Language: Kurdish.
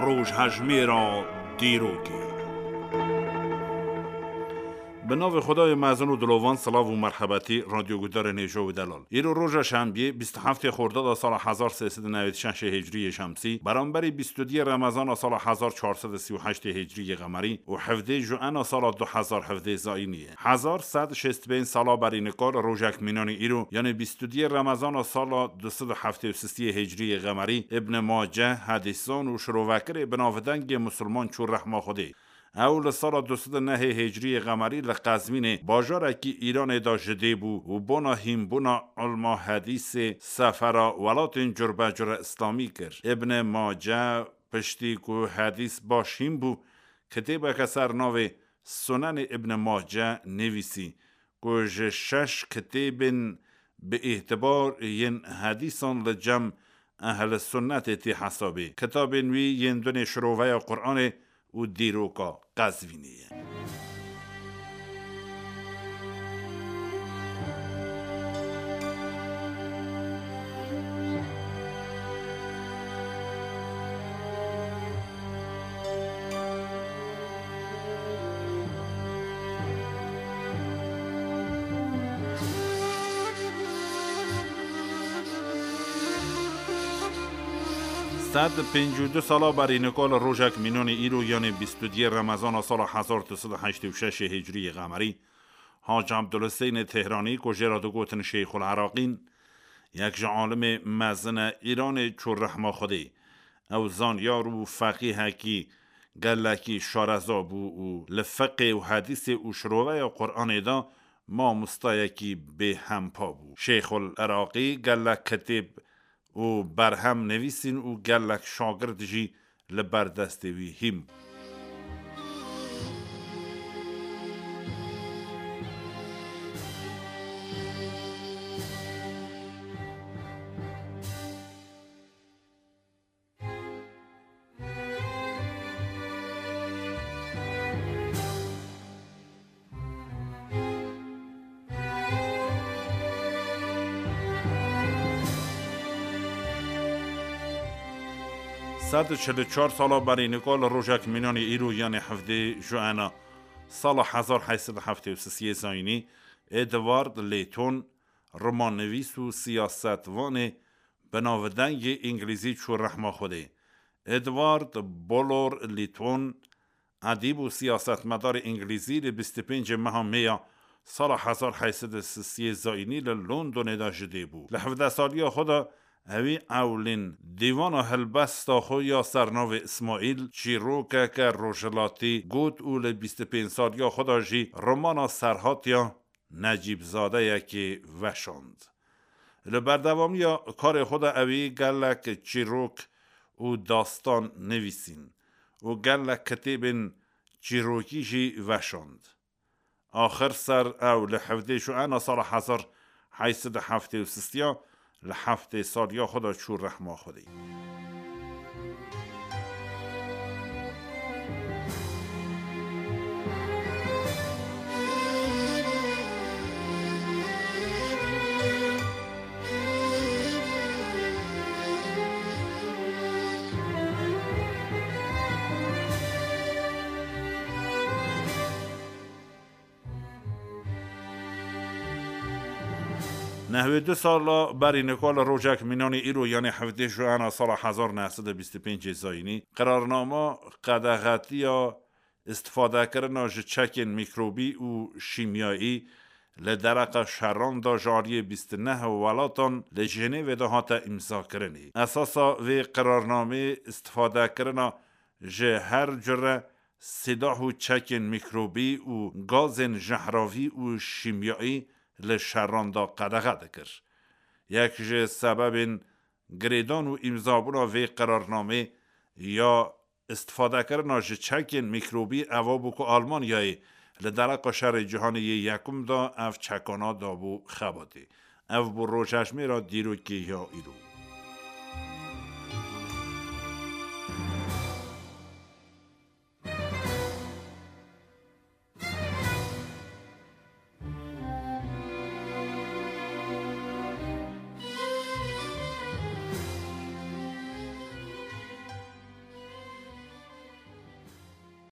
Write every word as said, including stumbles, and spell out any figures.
Rojhejmêra dîrokê. Bi navê Xwedayê mezin û dilovan, silav û merhebetî, radyoguhdarên hêja û delal. Îro roja şembiyê, bîst û heftê Xordada sala hezar sê sed û newêd û şeş Hicriyê Şemsî, beramberî bîst û duyê Remezana sala hezar çar sed û sî û heştê Hicriyê Qemerî û hevdê Juena sala du hezar hevdê Zayînî ye. Hezar sed şêst û pênc sala berî nika li rojek mînanî îro, yanê bîst û duyê Remezana sala du sed û heftê û sisiyê Hicriyê Qemerî, Ibn Mace, hedîsan û şirovekirê binavdengê Musulman çû rehma Xwedê. Ew li sala du sed û nehê Hicriyê Qemerî li Qezvînê, bajarekî Îranê de ji dê bû û bona hînbûna ilma hedîsê sefera welatên curbecure Îslamî kir. Ibn Mace piştî ku hedîs baş hîn bû, kitêbeke ser navê Sunenê Ibn Mace nivîsî, ku ji şeş kitêbên bi îtibar yên hedîsan li cem Ehl Sunnetê tê hesabê. Kitabên wî yên dunê Şiroveya Quranê û Dîroka Qezvînê ye. Sed pêncî û du sala berî nika li rojek mînanê îro, yanê bîst û duyê Remezana sala hezar du sed û heştê û şeş Hicriyê Qemerî, Hac Ebdulhusênê Tehranî, ku jê re digotin Şeyxul Iraqîn, yek ji alimê mezin e Îranê çû rehma Xwedê. Ew zanyar û feqîhekî gelekî şareza bû û li fiqê û hedîsê û şiroveya Quranê de mamostayekî bêhempa bû. Şeyxul Iraqî gelek kitêb û berhem nivîsîn û gelek şagirt jî li ber destê wî hîn bû. Sed û çil û çar sala berî nika li rojek mînanê îro, yanê hevdê Juena sala hezar heyt sed û heftê û sisiyê Zayînî, Edward Leyton, romannivîs û siyasetvanê binavdengê îngilîzî çû rehma Xwedê. Edward Bulwer Lytton, edîb û siyasetmedarê îngilîzî, li bîst û pêncê meha Mêya sala hezar heyt sed û sisiyê Zayînî li Londonê de ji dê bû. Li hevdeh saliya xwe de ewî ewlîn dîwana helbesta xwe ya sernavê Îsmaîl, çîrokeke rojhilatî, got û li bîst û pênc saliya xwe de jî romana Serhatiya Necîbzadeyekê veşand. Li berdewamiya karê xwe de ewî gelek çîrok û dastan nivîsîn û gelek kitêbên çîrokî jî veşand. Axir ser ew li hevdê Juena sala hezar heyt sed û heftê û sisiya li heftê saliya xwe de çû rehma Xwedê. Nehwê du sala berî nika li rojek mînanê îro, yanê hevdê Juena sala hezar neh sed û bîst û pêncê Zayînî, qirarnama qedexetiya îstifadekirina ji çekên mîkrobî û şîmyayî li dereqa şeran de ji aliyê bîst û neh welatan li Jenêvê de hate îmzakirinê. Esasa vê qirarnameyê îstifadekirina ji her cure sîlah û çekên mîkrobî û gazên jehravî û şîmyayî li şeran de qedexe dikir. Yek ji sebebên girêdan û îmzabûna vê qirarnamê ya îstifadekirina ji çekên mîkrobî eva bû ku Almanyayê li dereqa Şerê Cîhanê yê Yekum de ev çekana dabû xebatê. Ev bû rojhejmêra dîrokê ya îro.